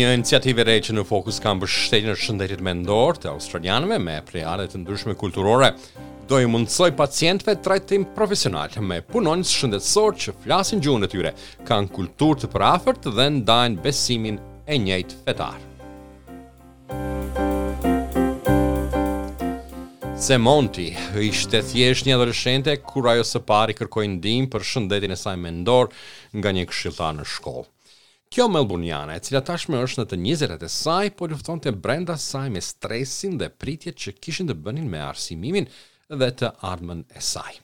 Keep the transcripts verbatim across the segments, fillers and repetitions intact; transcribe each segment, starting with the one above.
Një iniciativë e re që në fokus ka mbështetjen e shëndetit mendor të australianëve me prejardhje të ndryshme kulturore do i mundësoj pacientëve trajtim profesional me punonjës shëndetësor që flasin gjuhën e tyre, kanë kulturë të përafërt dhe ndajnë besimin e njëjtë fetar. Semonti ishte thjesht një adoleshente kur ajo së pari kërkoi ndihmë për shëndetin e saj mendor nga një këshilltar në shkollë. Kjo melburniane, e cila tashmë është në të njëzetat e saj, po luftonte brenda saj me stresin dhe pritjet që kishin të bënin me arsimimin dhe të ardhmen e saj.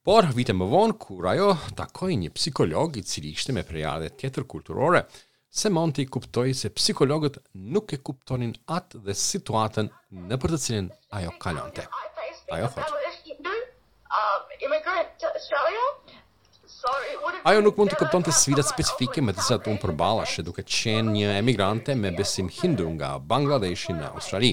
Por, vite më vonë, kur ajo takoi një psikolog i cili ishte me prejardhje tjetër kulturore, Semonti kuptoi se psikologët nuk e kuptonin atë dhe situatën nëpër të cilën ajo kalonte. Ajo thotë: Ajo nuk mund të kuptonte sfidat specifike me të cilat unë përballesha duke qenë një emigrante me besim hindu nga Bangladeshi në Australi.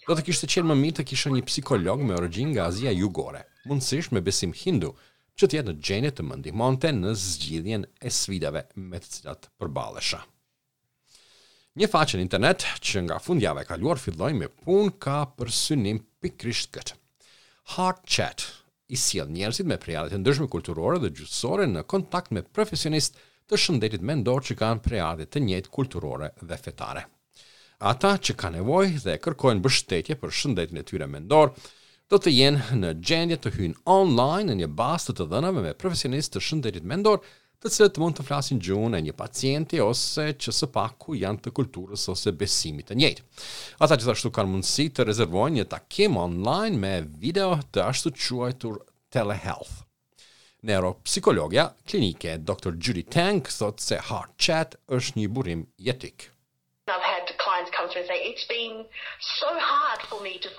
Do të kishte qenë më mirë të kisha një psikolog me origjinë nga Azia Jugore, mundësisht me besim hindu, që të jetë në gjendje të më ndihmonte në zgjidhjen e sfidave me të cilat përballesha. Një faqe në internet që nga fundjava e kaluar filloi me punë ka për synim pikërisht këtë. Heart Chat i sjell njerëzit me prejardhje të ndryshme kulturore dhe gjuhësore në kontakt me profesionistë të shëndetit mendor që kanë prejardhje të njëjtë kulturore dhe fetare. Ata që kanë nevojë dhe kërkojnë mbështetje për shëndetin e tyre mendor, do të jenë në gjendje të hyjnë online në një bazë të të dhënave me profesionistë të shëndetit mendor, të cilët mund të flasin gjuhën e një pacienti ose që së paku janë të kulturës ose besimit të njëjtë. Ata gjithashtu kanë mundësi të rezervojnë një takim online me video të ashtu quajtur telehealth. Neuropsikologja klinike Doktor Judy Tang thotë se Heart Chat është një burim jetik.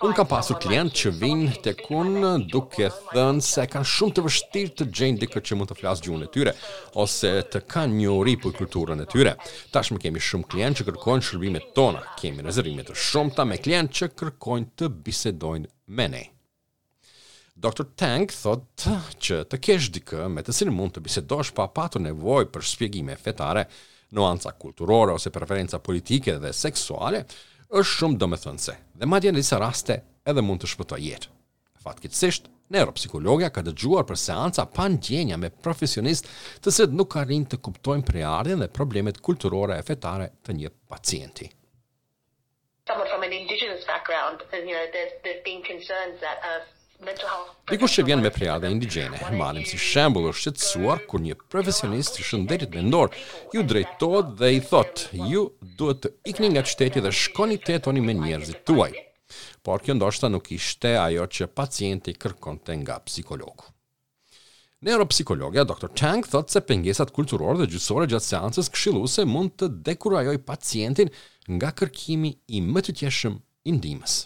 Unë kam pasur klient që vinë tek unë duke thënë se kanë shumë të vështirë të gjejnë dikë që mund të flasë gjuhën e tyre ose të kanë njohuri për kulturën e tyre. Tashmë kemi shumë klient që kërkojnë shërbimet tona. Kemi rezervime të shumta me klient që kërkojnë të bisedojnë me ne. Doktor Tang thotë që të kesh dikë me të cilin mund të bisedosh pa patur nevojë për shpjegime fetare, nuanca kulturore ose preferenca politike dhe seksuale, është shumë domethënëse dhe madje në disa raste edhe mund të shpëtojë jetë. Fatkeqësisht, neuropsikologja ka dëgjuar për seanca pa ndjenja me profesionistë të cilët nuk arrijnë të kuptojnë prejardhjen dhe problemet kulturore e fetare të një pacienti. Someone from an indigenous background, you know, there's, there's been concerns that a Dikush që vjen me prejardhje indigjene, marrim si shembull, është shqetësuar kur një profesionist i shëndetit mendor ju drejtohet dhe i thotë, ju duhet të ikni nga qyteti dhe shkoni të jetoni me njerëzit tuaj. Por kjo ndoshta nuk ishte ajo që pacienti kërkonte nga psikologu. Neuropsikologja Doktor Tang thotë se pengesat kulturore dhe gjyqësore gjatë seancës këshilluese mund të dekurajojë pacientin nga kërkimi i më të tjeshëm i ndihmës.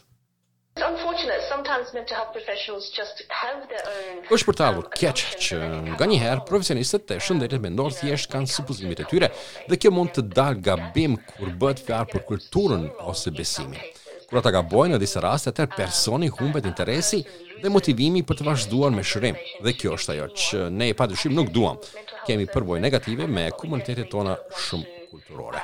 Është për të ardhur keq që nganjëherë profesionistët e shëndetit mendor thjesht kanë supozimet e tyre dhe kjo mund të dalë gabim kur bëhet fjalë për kulturën ose besimin. Kur ata gabojnë në disa raste, atëherë personi humbet interesi dhe motivimi për të vazhduar me shërim. Dhe kjo është ajo që ne padyshim nuk duam. Kemi përvojë negative me komunitetet tona shumë kulturore.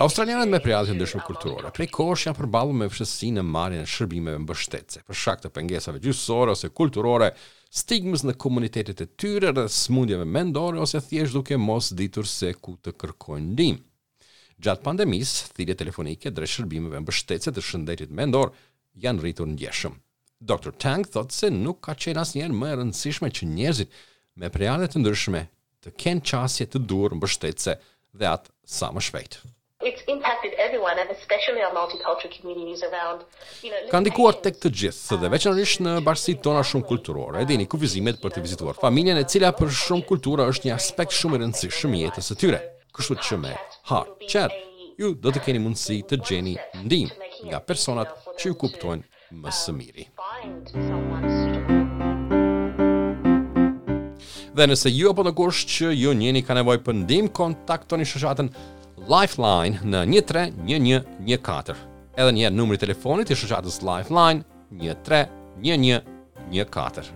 Australianët me prejardhje të ndryshme kulturore prej kohësh janë përballur me vështirësi në marrjen e shërbimeve mbështetëse për shkak të pengesave gjyqësore ose kulturore, stigmës në komunitetet e tyre dhe sëmundjeve mendore ose thjesht duke mos ditur se ku të kërkojnë ndihmë. Gjatë pandemisë, thirrjet telefonike drejt shërbimeve mbështetëse të shëndetit mendor janë rritur ndjeshëm. Doktor Tang thotë se nuk ka qenë asnjëherë më e rëndësishme që njerëzit me prejardhje të ndryshme të kenë qasje të duhur mbështetëse dhe atë sa më shpejt. It's impacted everyone and especially our multicultural communities around, you know, Ka ndikuar tek të gjithë dhe veçanërisht në bashkësitë tona shumë kulturore. E dini kufizimet për të vizituar familjen, e cila për shumë kultura është një aspekt shumë i rëndësishëm i jetës së tyre. Kështu që me Heart Chat ju do të keni mundësi të gjeni ndihmë nga personat që ju kuptojnë më së miri. Dhe nëse ju apo dikush që ju njeni ka nevojë për ndihmë, kontaktoni shoqatën Lifeline në një tre një një një katër. Edhe një herë numri i telefonit i shoqatës Lifeline një tre një një një katër.